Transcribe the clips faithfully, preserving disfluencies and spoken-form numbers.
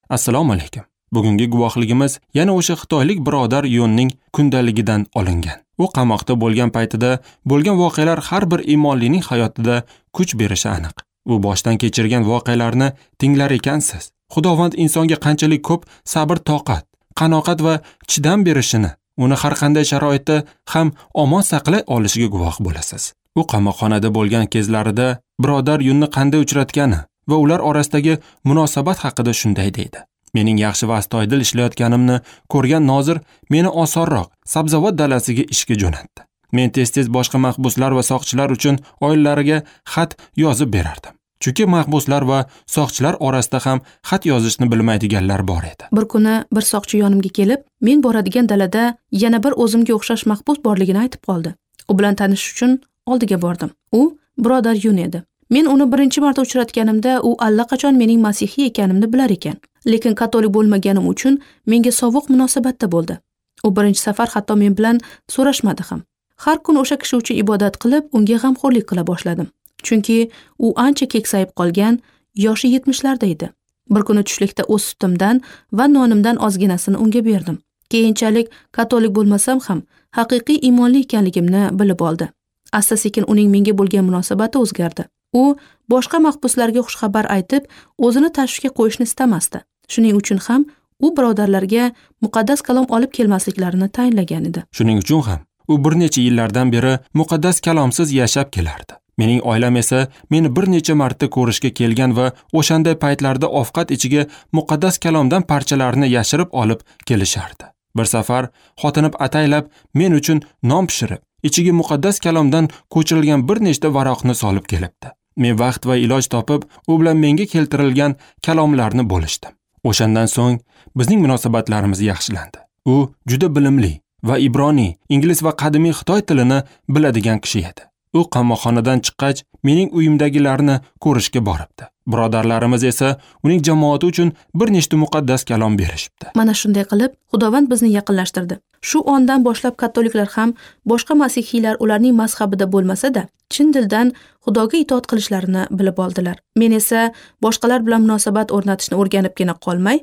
Assalomu alaykum. Bugungi guvohligimiz yana o'sha xitoylik birodar Yunning kundaligidan olingan. U qamoqda bo'lgan paytida bo'lgan voqealar har bir iymonlining hayotida kuch berishi aniq. U boshdan kechirgan voqealarni tinglar ekansiz, Xudovand insonga qanchalik ko'p sabr, toqat, qanoat va chidam berishini, uni har qanday sharoitda ham omon saqlay olishiga guvoh bo'lasiz. U qamoqxonada bo'lgan kezlarida birodar Yunni qanday uchratgani va ular orasidagi munosabat haqida shunday deydi. Mening yaxshi va astoydil ishlayotganimni ko'rgan nozir meni osonroq sabzavot dalasiga ishga jo'natdi. Men tez-tez boshqa mahbuslar va soqchilar uchun oilalariga xat yozib berardim. Chunki mahbuslar va soqchilar orasida ham xat yozishni bilmaydiganlar bor edi. Bir kuni bir soqchi yonimga kelib, men boradigan dalada yana bir o'zimga o'xshash mahbus borligini aytib qoldi. U bilan tanishish uchun oldiga bordim. U birodar Yun edi. Men uni birinchi marta uchratganimda u allaqachon mening masihiy ekanimni bilar ekan. Lekin katolik bo'lmaganim uchun menga sovuq munosabatda bo'ldi. U birinchi safar hatto men bilan so'rashmadi ham. Har kun o'sha kishi uchun ibodat qilib, unga g'amxo'rlik qila boshladim. Chunki u ancha keksayib qolgan, yoshi yetmishlarda edi. Bir kuni tushlikda o'z sutimdan va nonimdan ozginasini unga berdim. Keyinchalik katolik bo'lmasam ham haqiqiy iymonli ekanligimni bilib oldi. Asta-sekin uning menga bo'lgan munosabati o'zgardi. U boshqa mahbuslarga xushxabar aytib, o'zini tashvishga qo'yishni istamasdi. Shuning uchun ham u birodarlarga muqaddas kalom olib kelmasliklarini tayinlagan edi. Shuning uchun ham u bir necha yillardan beri muqaddas kalomsiz yashab kelardi. Mening oilam esa meni bir necha marta ko'rishga kelgan va o'shanday paytlarda ovqat ichiga muqaddas kalomdan parchalarni yashirib olib kelishardi. Bir safar xotinim ataylab men uchun non pishirib, ichiga muqaddas kalomdan ko'chirilgan bir nechta varoqni solib kelibdi. Men vaqt va iloj topib, u bilan menga keltirilgan kalomlarni bo'lishdim. O'shandan so'ng bizning munosabatlarimiz yaxshilandi. U juda bilimli va ibroniy, ingliz va qadimiy xitoy tilini biladigan kishi edi. U qamoqxonadan chiqqach, mening uyimdagilarni ko'rishga boribdi. Birodarlarimiz esa uning jamoati uchun bir nechta muqaddas kalom berishibdi. Mana shunday qilib, Xudovand bizni yaqinlashtirdi. Shu ondan boshlab katoliklar ham boshqa masihiylar ularning mazhabida bo'lmasa-da, chin dildan Xudoga itoat qilishlarini bilib oldilar. Men esa boshqalar bilan munosabat o'rnatishni o'rganibgina qolmay,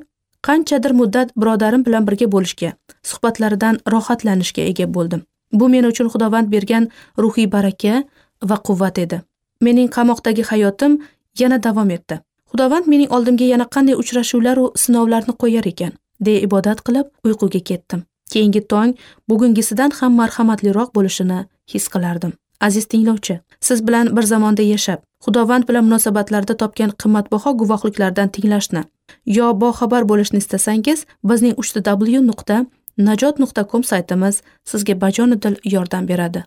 qanchadir muddat birodarim bilan birga bo'lishga, suhbatlaridan rohatlanishga ega bo'ldim. Bu men uchun Xudovand bergan ruhiy baraka va quvvat edi. Mening qamoqdagi hayotim yana davom etdi. Xudovand mening oldimga yana qanday uchrashuvlar va sinovlarni qo'yar ekan, deya ibodat qilib uyquga ketdim. Keyingi tong bugungisidan ham marhamatliroq bo'lishini his qilardim. Aziz tinglovchi, siz bilan bir zamonda yashab, Xudovand bilan munosabatlarda topgan qimmatbaho guvohliklardan tinglashni yo boxabar bo'lishni istasangiz, bizning uch w nuqta najot nuqta com saytimiz sizga bajonidil yordam beradi.